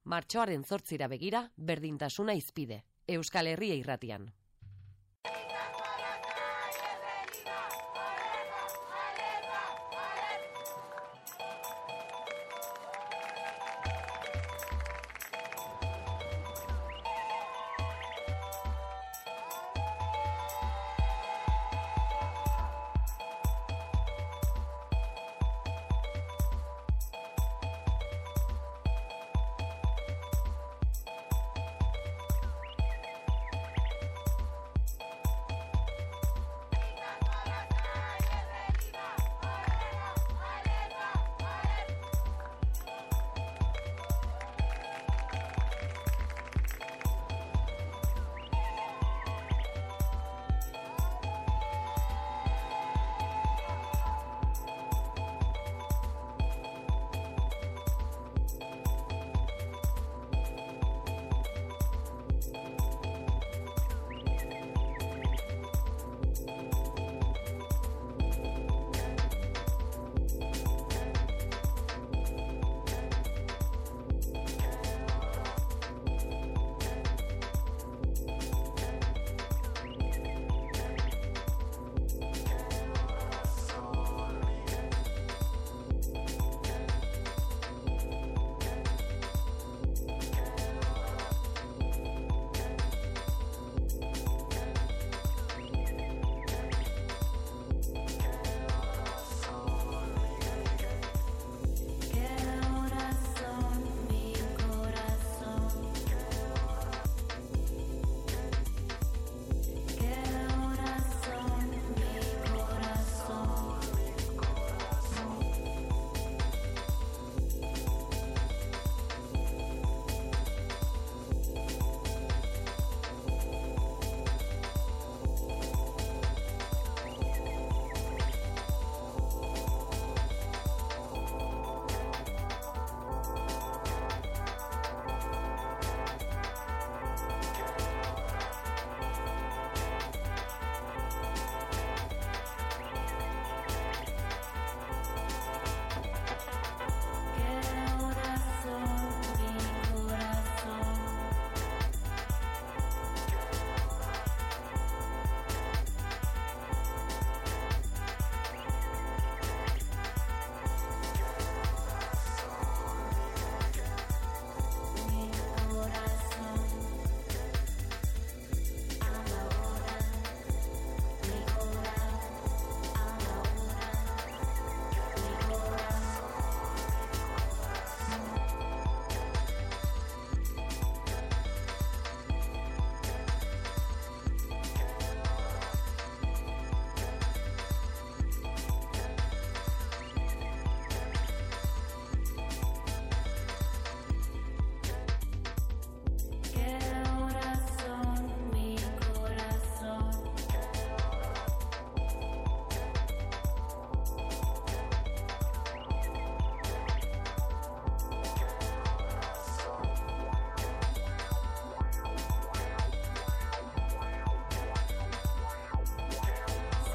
Martxoaren 8 begira, berdintasuna hizpide. Euskal Herria Irratian.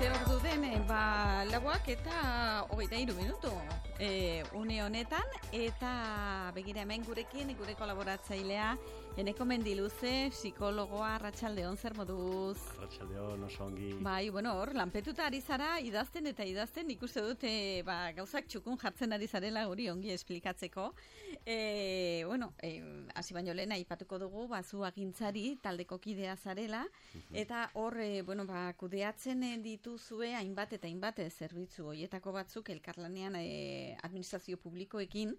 Ordu den, lauak eta 23 minutu une honetan, eta begira hemen gurekin, gure kolaboratzailea, Eneko Mendiluze, psikologoa, arratsaldeon, zer moduz? Arratsaldeon, oso ongi. Bai, bueno, hor, lanpetuta ari zara, idazten, nik uste dut, gauzak txukun jartzen ari zarela hori ongi esplikatzeko. Hasi baino lehen aipatuko dugu, zu agintzari, taldeko kidea zarela, eta hor, kudeatzen dituzue hainbat eta hainbat zerbitzu horietako batzuk elkarlanean administrazio publikoekin,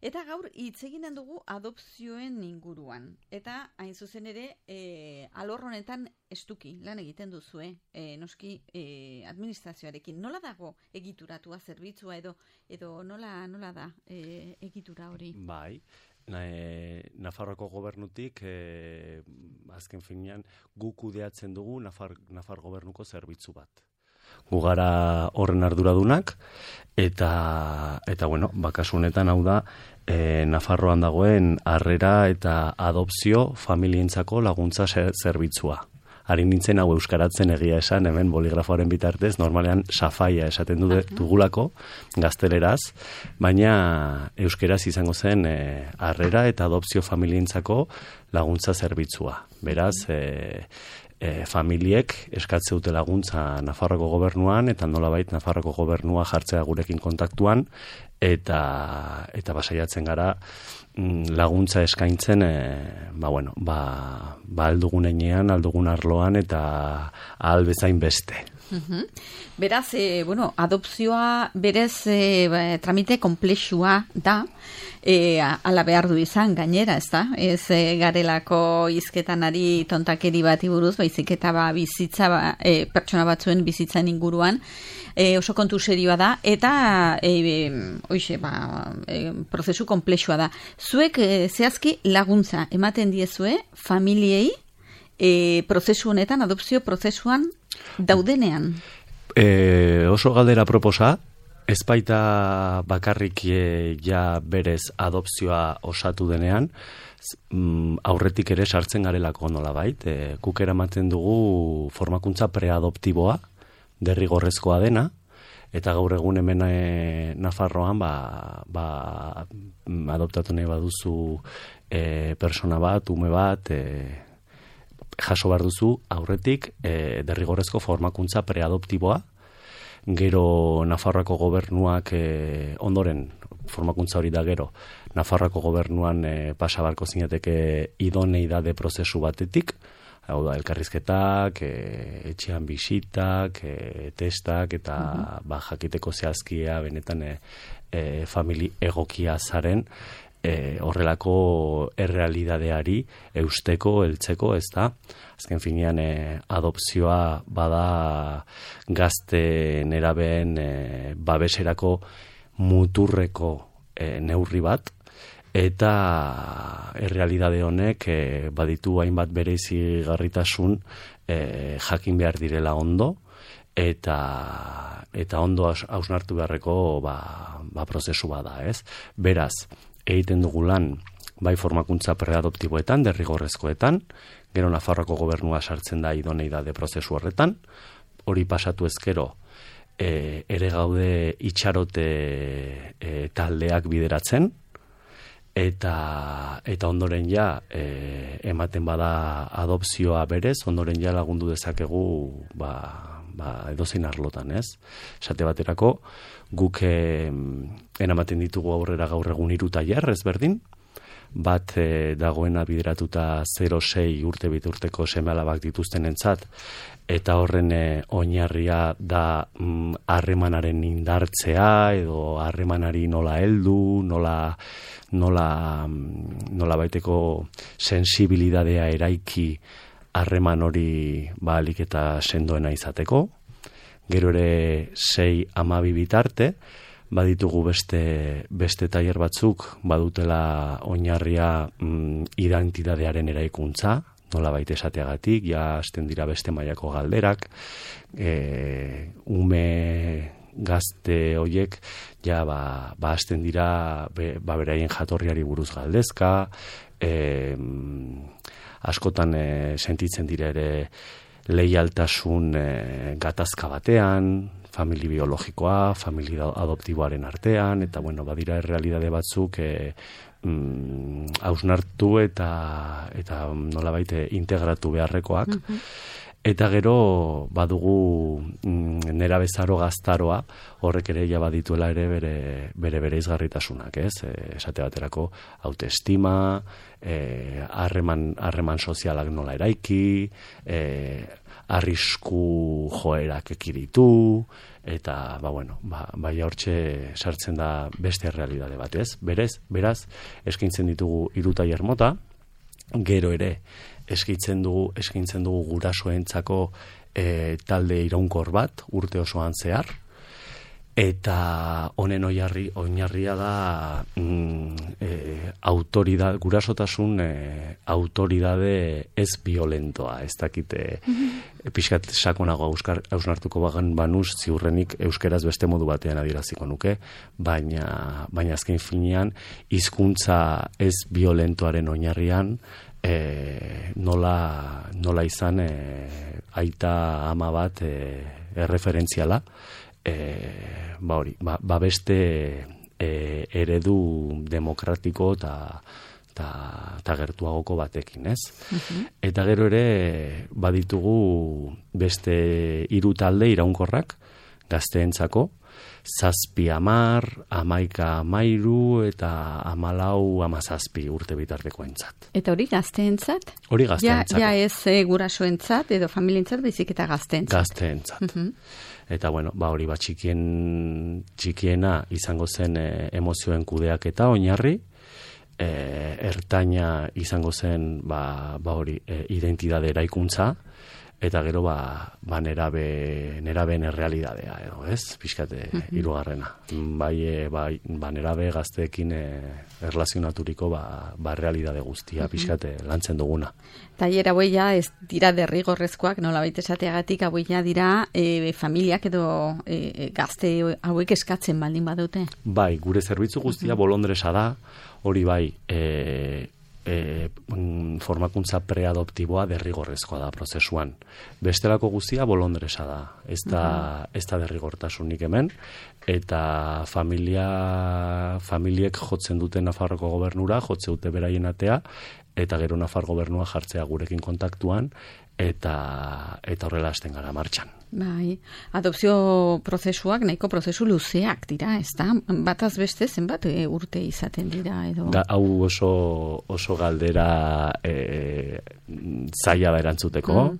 eta gaur hitz eginen dugu adopzioen inguruan. Eta hain zuzen ere, alor honetan estuki lan egiten duzue, noski administrazioarekin. Nola dago egituratua zerbitzua edo nola da egitura hori? Bai, Nafarroako gobernutik azken finean guk kudeatzen dugu Nafar gobernuko zerbitzu bat. Gu gara horren arduradunak eta kasu honetan hau da Nafarroan dagoen harrera eta adopzio familientzako laguntza zerbitzua. ari nintzen hau euskaratzen egia esan, hemen boligrafoaren bitartez, normalean safaia esaten dugulako, gazteleraz, baina euskeraz izango zen harrera eta adopzio familientzako laguntza zerbitzua. Beraz, familiek eskatze dute laguntza Nafarroako gobernuan, eta nolabait Nafarroako gobernua jartzea gurekin kontaktuan, eta basaiatzen gara laguntza eskaintzen, aldugun enean, aldugun arloan, eta ahal bezain beste. Beraz, adopzioa berez tramite komplexua da, ala behar du izan gainera, ez da? Ez garelako hizketan ari tontakeri bati buruz, baizik eta bizitza, pertsona batzuen bizitzan inguruan, oso kontu serioa da, eta prozesu komplexua da. Zuek zehazki laguntza ematen diezue familiei prozesu honetan, adopzio prozesuan daudenean? Oso galdera proposa, ez baita bakarrik ja berez adopzioa osatu denean, aurretik ere sartzen garelako nolabait. Guk eramaten dugu formakuntza preadoptiboa, derrigorrezkoa dena, eta gaur egun hemen Nafarroan adoptatu nahi baduzu persona bat, ume bat, jaso behar duzu aurretik derrigorrezko formakuntza preadoptiboa, gero Nafarroako gobernuak ondoren formakuntza hori da gero, Nafarroako gobernuan pasabarko zinateke idoneidade prozesu batetik, hau da, elkarrizketak, etxean bisitak, testak, eta jakiteko zehazkia benetan famili egokia zaren, horrelako errealidadeari eusteko, heltzeko, ez da? Azken finean, adopzioa bada gazte nerabeen babeserako muturreko neurri bat, eta errealidade honek baditu hainbat bereizigarritasun jakin behar direla ondo, eta ondo hausnartu beharreko prozesu bada, ez? Beraz, egiten dugu lan bai formakuntza preadoptiboetan, derrigorrezkoetan, gero Nafarroako gobernua sartzen da idoneidade prozesu horretan, hori pasatu ezkero, ere gaude itxarote taldeak bideratzen, eta ondoren ja ematen bada adopzioa berez, ondoren ja lagundu dezakegu edozein arlotan, ez? Esate baterako, guk eramaten ditugu aurrera gaur egun 3 tailer ezberdin, bat dagoena bideratuta 0-6 urte biturteko seme-alabak dituztenentzat, eta horren oinarria da harremanaren indartzea, edo harremanari nola heldu, nola baiteko sensibilidadea eraiki harreman hori ahalik eta sendoena izateko. Gero ere 6-12 bitarte, baditugu beste tailer batzuk, badutela oinarria identitatearen eraikuntza, nola baita esateagatik, ja hasten dira beste mailako galderak, ume gazte hoiek, ja hasten dira beraien jatorriari buruz galdezka, askotan sentitzen dira ere leialtasun gatazka batean, famili biologikoa, famili adoptiboaren artean, eta badira errealidade batzuk hausnartu eta nolabait integratu beharrekoak. Eta gero badugu nerabezaro gaztaroa, horrek ere ja badituela ere bere izgarritasunak, ez? Esate baterako autoestima, harreman sozialak nola eraiki, arrisku joerak ekiditu, eta bai hortxe sartzen da beste errealidade bat, ez? Beraz, eskaintzen ditugu 3 tailer mota, gero ere eskaintzen dugu gurasoentzako talde iraunkor bat urte osoan zehar, eta honen oinarria da gurasotasun autoridade ez violentoa, ez dakite pixkat sakonago hausnartuko bagan banuz, ziurrenik euskeraz beste modu batean adieraziko nuke, baina azken finean hizkuntza ez violentoaren oinarrian nola izan aita ama bat erreferentziala, beste eredu demokratiko eta gertuagoko batekin, ez? Eta gero ere baditugu beste 3 talde iraunkorrak gazteentzako, 7-10, 11-13 eta 14-17 urte bitartekoentzat. Eta hori gazteentzat? Hori gazteentzako. Ja ez gurasoentzat edo familientzat, baizik eta gazteentzat. Gazteentzat. Eta bueno, hori txikiena izango zen emozioen kudeaketa oinarri, ertaina izango zen hori identitate eraikuntza, eta gero nerabeen errealidadea edo, ez? Pixkate hirugarrena. Nerabe gazteekin erlazionaturiko realidade guztia pixkate lantzen duguna. Tailer hauei ja ez dira derrigorrezkoak, nolabait esateagatik hauei ja dira familiak edo gazte hauek eskatzen baldin badute. Bai, gure zerbitzu guztia bolondresa da, hori bai, formakuntza preadoptiboa derrigorrezkoa da prozesuan. Bestelako guztia bolondresa da. Ez da derrigortasunik hemen, eta familiek jotzen dute Nafarroko gobernura, jotze dute beraien atea, eta gero Nafar gobernua jartzea gurekin kontaktuan, eta horrela hasten gara martxan. Bai, adopzio prozesuak nahiko prozesu luzeak dira, ez da? Bataz beste zenbat urte izaten dira edo? Hau oso galdera zaila da erantzuteko.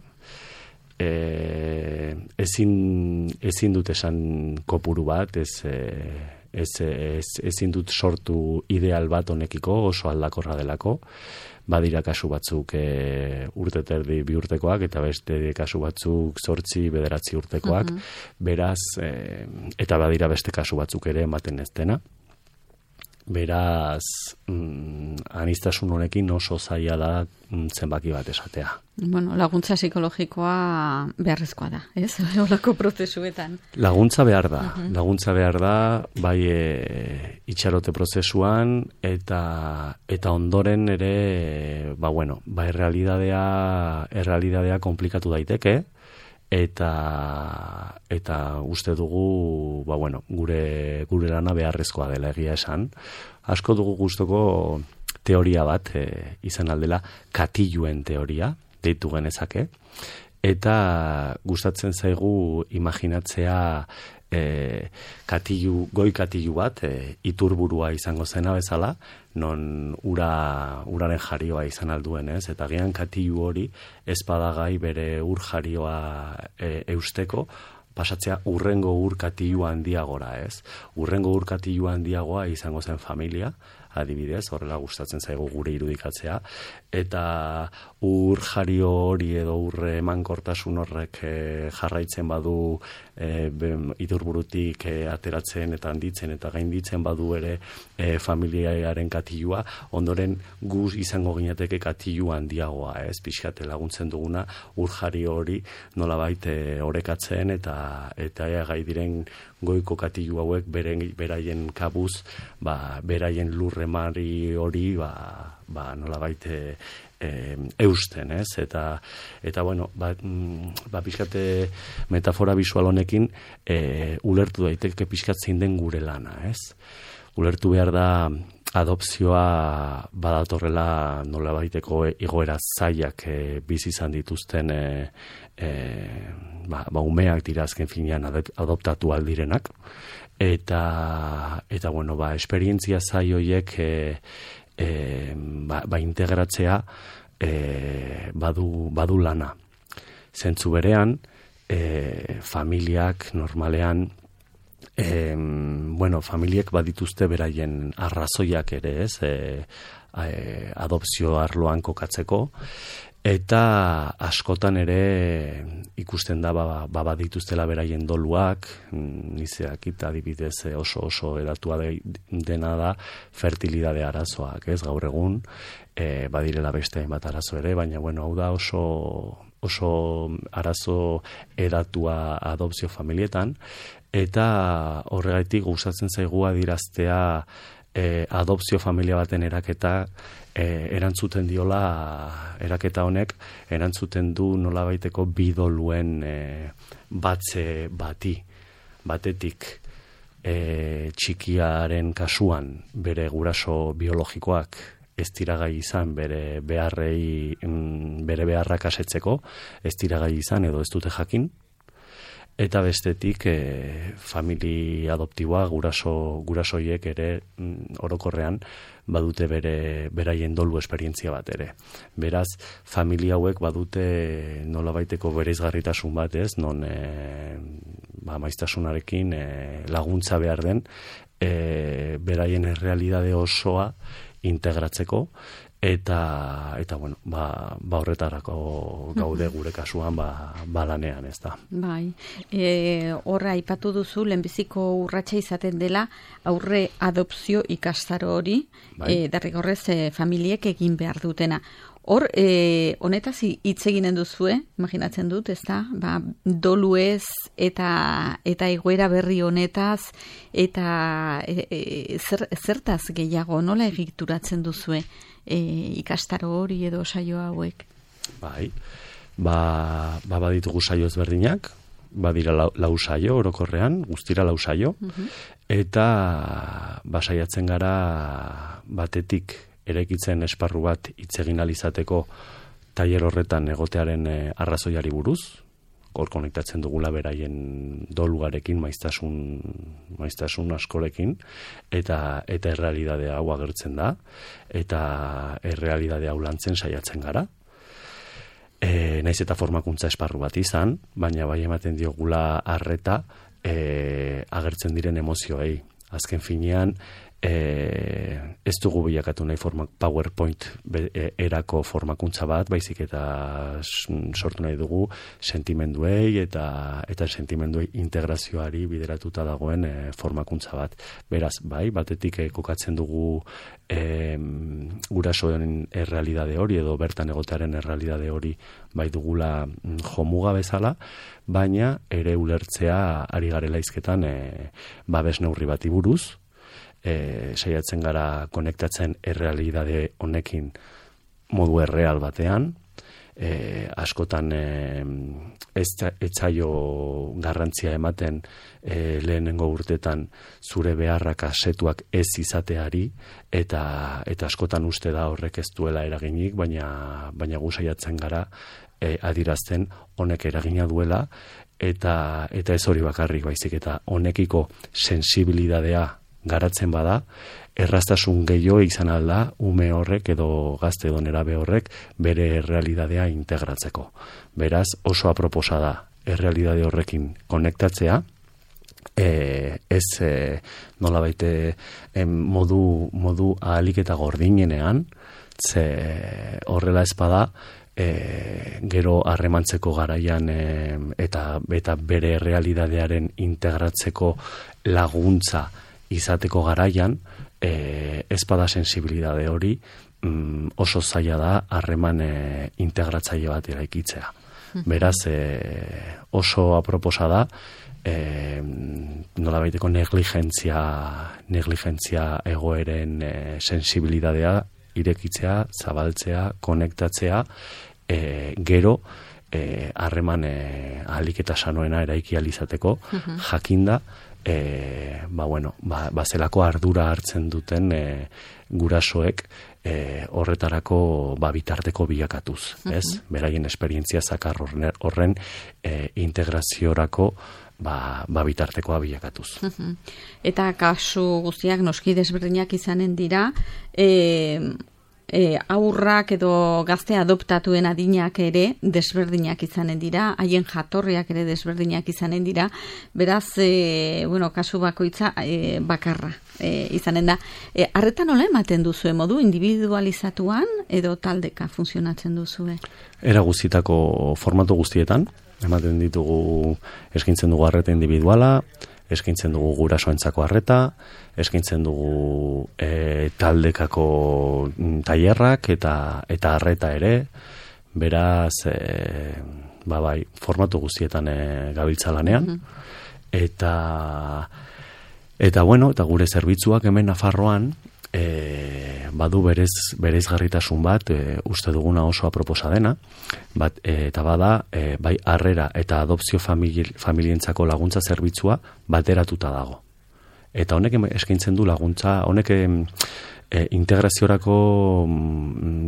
Ezin dut esan kopuru bat, ezin dut sortu ideal bat honekiko, oso aldakorra delako. Badira kasu batzuk urte terdi 2 urtekoak, eta beste kasu batzuk 8-9 urtekoak, beraz, eta badira beste kasu batzuk ere ematen ez dena. Beraz, aniztasun honekin oso zaila da zenbaki bat esatea. Bueno, laguntza psikologikoa beharrezkoa da, ez? Olako prozesuetan. Laguntza behar da, bai itxarote prozesuan, eta ondoren ere, errealidadea komplikatu daiteke, eta uste dugu, gure lana beharrezkoa dela egia esan. Asko dugu gustoko teoria bat izan aldela, katiluen teoria, deitu genezake, eta gustatzen zaigu imaginatzea goi katilu bat, iturburua izango zena bezala, non uraren jarioa izan alduen, ez? Eta gian katilu hori ez badagai bere ur jarioa eusteko, pasatzea urrengo ur katilu handiagora, ez? Urrengo ur katilu handiagoa izango zen familia, adibidez, horrela gustatzen zaigu gure irudikatzea, eta ur jario hori edo ur emankortasun horrek jarraitzen badu iturburutik ateratzen eta handitzen eta gainditzen badu ere familiaren katilua, ondoren guz izango ginateke katilu handiagoa, ez? Pixkate laguntzen duguna ur jario hori nolabait orekatzen eta gai diren goiko katilu hauek beraien kabuz, beraien lurremari hori nolabait eusten, ez? Eta pixkate metafora bisual honekin ulertu daiteke pixkat zein den gure lana, ez? Ulertu behar da adopzioa badatorrela nolabaiteko egoera zailak bizi izan dituzten umeak dira azken finean adoptatu aldirenak, eta esperientzia zail horiek integratzea badu lana. Zentzu berean, familiak normalean familiek badituzte beraien arrazoiak ere, ez? Adopzio arloan kokatzeko, Eta askotan ere ikusten da badituztela beraien doluak, nizeak eta adibidez oso eratua dena da fertilidade arazoak, ez gaur egun, badirela beste hainbat arazo ere, baina bueno, hau da oso arazo eratua adopzio familietan, eta horregatik gustatzen zaigu adiraztea adopzio familia baten eraketa erantzuten diola, eraketa honek erantzuten du nolabaiteko bidoluen batze batetik txikiaren kasuan bere guraso biologikoak ez dira gai izan bere beharrak asetzeko, ez dira gai izan edo ez dute jakin, eta bestetik familia adoptiboa gurasoiek ere orokorrean badute beraien dolu esperientzia bat ere. Beraz, familia hauek badute nolabaiteko bereizgarritasun bat, ez, non maiztasunarekin laguntza behar den beraien errealidade osoa integratzeko, eta bueno, horretarako gaude gure kasuan lanean, ez da. Bai, horra aipatu duzu, lehenbiziko urratsa izaten dela aurre adopzio ikastaro hori, derrigorrez familiek egin behar dutena. Hor, honetaz hitz eginen duzue, imaginatzen dut, ez da? Doluez eta egoera berri honetaz, eta zertaz gehiago, nola egituratzen duzue ikastaro hori edo saio hauek? Bai, baditugu saio ezberdinak, badira lau saio orokorrean, guztira lau saio, eta saiatzen gara batetik eraikitzen esparru bat hitz egin ahal izateko tailer horretan egotearen arrazoiari buruz, hor konektatzen dugula beraien dolugarekin, maiztasun askorekin, eta errealidade hau agertzen da, eta errealidade hau lantzen saiatzen gara. Naiz eta formakuntza esparru bat izan, baina bai ematen diogula arreta agertzen diren emozioei. Azken finean, ez dugu bilakatu nahi PowerPoint erako formakuntza bat, baizik eta sortu nahi dugu sentimenduei eta sentimenduei integrazioari bideratuta dagoen formakuntza bat. Beraz, batetik kokatzen dugu gurasoen errealidade hori edo bertan egotearen errealidade hori bai dugula jomuga bezala, baina ere ulertzea ari garela hizketan babes neurri bati buruz, saiatzen gara konektatzen errealidade honekin modu erreal batean, askotan etzaio garrantzia ematen lehenengo urtetan zure beharrak asetuak ez izateari, eta askotan uste da horrek ez duela eraginik, baina gu saiatzen gara adirazten honek eragina duela, eta ez hori bakarrik baizik, eta honekiko sensibilidadea garatzen bada, erraztasun gehiago izan alda ume horrek edo gazte edo nerabe horrek bere errealidadea integratzeko. Beraz, oso aproposa da errealidade horrekin konektatzea, ez nolabaite modu ahalik eta gordinenean, ze horrela ez bada, gero harremantzeko garaian eta bere errealidadearen integratzeko laguntza izateko garaian, ezpada sensibilidade hori oso zaila da harreman integratzaile bat eraikitzea. Beraz, oso aproposa da nolabaiteko negligentzia egoeren sensibilidadea irekitzea, zabaltzea, konektatzea, gero harreman ahalik eta sanoena eraiki ahal izateko, jakinda zelako ardura hartzen duten gurasoek horretarako bitarteko bilakatuz, ez? Beraien esperientzia zakar horren integraziorako bitartekoa bilakatuz. Eta kasu guztiak noski desberdinak izanen dira, aurrak edo gazte adoptatuen adinak ere desberdinak izanen dira, haien jatorriak ere desberdinak izanen dira, beraz, kasu bakoitza bakarra izanen da. Arreta nola ematen duzue modu individualizatuan edo taldeka funtzionatzen duzue? Era guztietako formatu guztietan, ematen ditugu, eskaintzen dugu arreta individuala, eskaintzen dugu gurasoentzako arreta, eskaintzen dugu taldekako tailerrak eta arreta ere, beraz, bai, formatu guztietan gabiltza lanean, eta gure zerbitzuak hemen Nafarroan badu bereizgarritasun bat, uste duguna oso aproposa dena, eta bada, bai harrera eta adopzio familientzako laguntza zerbitzua bateratuta dago. Eta honek eskaintzen du laguntza, honek integraziorako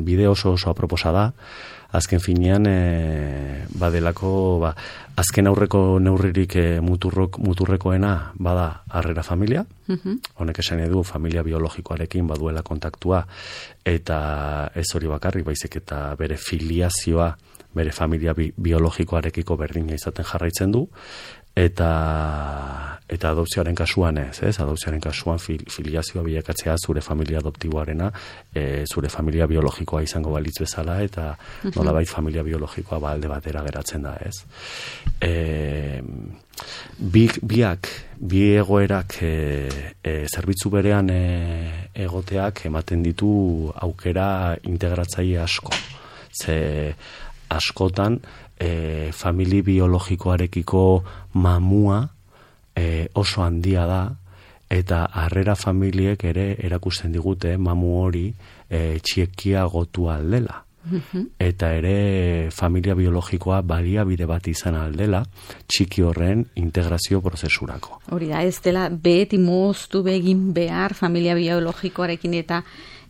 bide oso aproposa da, azken finean badelako, azken aurreko neurririk muturrekoena bada harrera familia, honek esan edu familia biologikoarekin baduela kontaktua, eta ez hori bakarrik, baizik eta bere filiazioa, bere familia biologikoarekiko berdina izaten jarraitzen du, eta adopzioaren kasuan adopzioaren kasuan filiazioa bilakatzea zure familia adoptiboarena, zure familia biologikoa izango balitz bezala, eta nolabait familia biologikoa alde batera geratzen da, ez? Bi egoerak zerbitzu berean egoteak ematen ditu aukera integratzaile asko. Ze askotan famili biologikoarekiko mamua oso handia da, eta harrera familiek ere erakusten digute mamu hori txiekiagotu aldela. Eta ere familia biologikoa baliabide bat izan aldela txiki horren integrazio prozesurako. Hori da, ez dela beti moztu begin behar familia biologikoarekin eta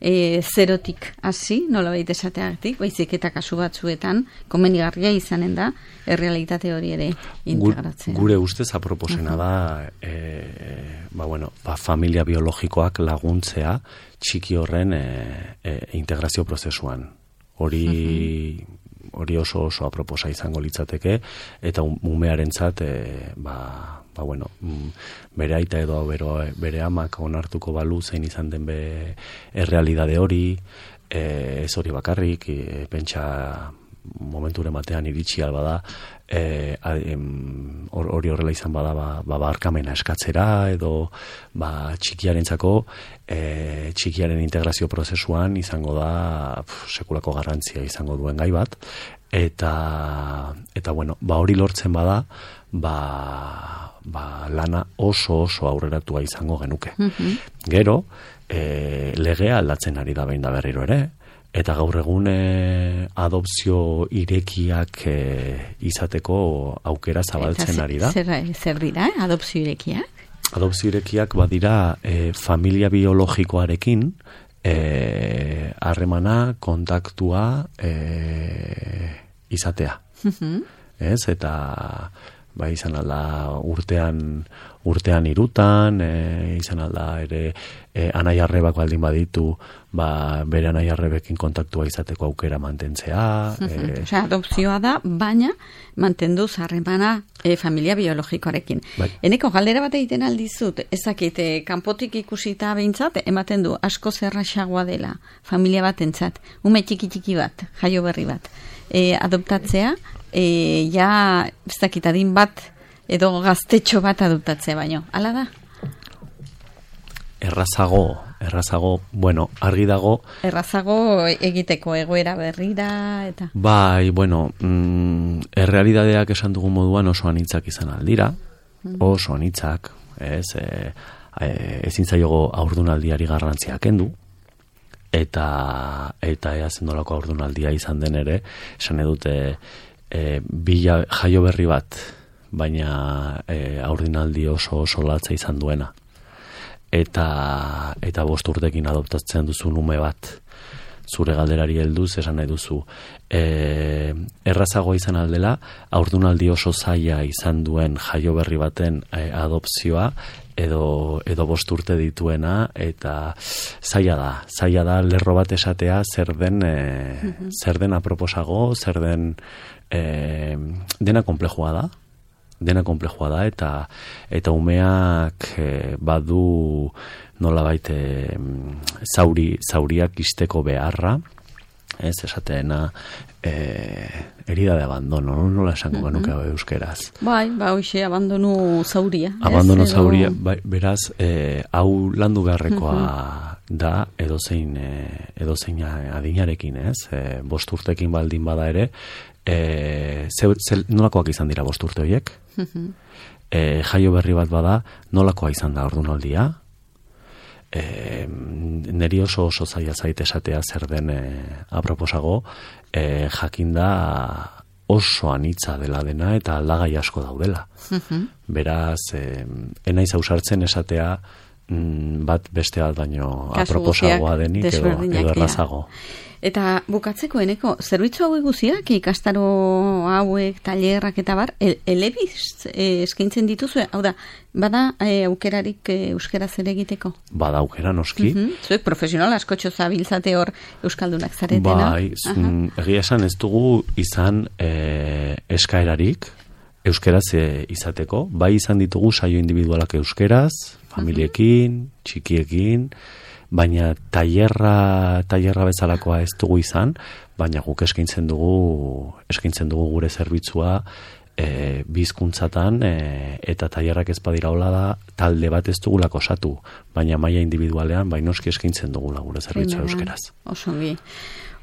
zerotik hasi, nolabait esateagatik, baizik eta kasu batzuetan komenigarria izanen da errealitate hori ere integratzea. Gure ustez aproposena da familia biologikoak laguntzea txiki horren integrazio prozesuan. Hori oso aproposa izango litzateke, eta umearentzat bere aita edo bere amak onartuko balu zein izan den errealidade hori, ez hori bakarrik, pentsa momenture batean iritsi albada, hori horrela izan bada barkamena eskatzera, edo txikiarentzako txikiaren integrazio prozesuan izango da sekulako garrantzia izango duen gai bat, eta hori lortzen bada, lana oso aurreratua izango genuke. Gero, legea aldatzen ari da behin da berriro ere, eta gaur egun adopzio irekiak izateko aukera zabaltzen ari da. Zer dira, adopzio irekiak? Adopzio irekiak badira familia biologikoarekin harremana, kontaktua izatea. Ez, eta izan alda urtean 3, izan alda ere anai arrebak baldin baditu, bere anai arrebekin kontaktua izateko aukera mantentzea. Adopzioa da, baina mantendu harremana familia biologikoarekin. Eneko galdera bat egiten aldizut, ezakit, kanpotik ikusita behintzat, ematen du asko zerraxagoa dela familia batentzat, ume txiki bat, jaio berri bat, adoptatzea, ez dakit adin bat edo gaztetxo bat adoptatzea baino. Hala da? Errazago, argi dago. Errazago egiteko egoera berrira eta... Errealidadeak esan dugun moduan oso anitzak izan aldira, oso anitzak, ezin zaiogo haurdunaldiari garrantzia kendu, eta ea zendolako haurdunaldia izan den ere, esan edute jaio berri bat, baina haurdunaldi oso latza izan duena. Eta 5 urtekin adoptatzen duzun ume bat, zure galderari helduz esan nahi duzu. Errazagoa izan aldela, haurdunaldi oso zaila izan duen jaio berri baten adopzioa, edo 5 urte dituena, eta zaila da lerro bat esatea zer den aproposago, zer den dena konplexua da, eta umeak badu nolabait zauriak isteko beharra, ez esateena herida de abandono, nola esango genuke euskeraz. Bai, hoxe, abandonu zauria. Abandono zauria, beraz, hau landu beharrekoa da edozein adinarekin, ez? 5 urtekin baldin bada ere, nolakoak izan dira 5 urte horiek? Jaio berri bat bada, nolakoa izan da haurdunaldia? Neri oso zaila zait esatea zer den aproposago, jakinda oso anitza dela dena eta aldagai asko daudela. Beraz, enaiz ausartzen esatea bat beste bat baino aproposagoa denik edo errazago. Eta bukatzeko eneko, zerbitzu hauek guziak, ikastaro hauek, tailerrak eta bar, elebiz eskaintzen dituzue? Hau da, bada aukerarik euskaraz ere egiteko? Bada aukera, noski. Zuek profesional askotxo zabiltzate hor euskaldunak zaretena? Bai, egia esan ez dugu izan eskaerarik euskaraz izateko. Bai izan ditugu saio individualak euskaraz, familiekin, txikiekin, baina tailerra bezalakoa ez dugu izan, baina guk eskaintzen dugu gure zerbitzua bi hizkuntzatan eta tailerrak ez badira hola da, talde bat ez dugulako osatu, baina maila individualean noski eskaintzen dugula gure zerbitzua euskeraz. Osongi.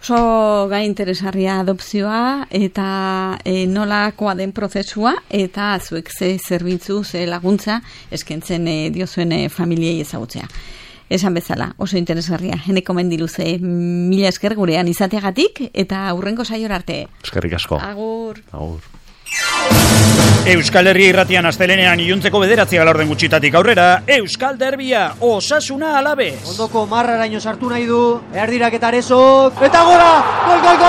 Oso gai interesarria adopzioa eta nolakoa den prozesua eta zuek ze zerbitzu, ze laguntza eskaintzen diozuen familiei ezagutzea. Esan bezala, oso interesgarria. Eneko Mendiluze, mila esker gurean izateagatik eta aurrengo saiora arte. Eskerrik asko. Agur. Euskal Herria Irratian astelenean iluntzeko 9 gutxitatik aurrera, Euskal Derbia, Osasuna Alavés. Ondoko marraraino sartu nahi du, erdirak eta arezok, eta gora! Gol!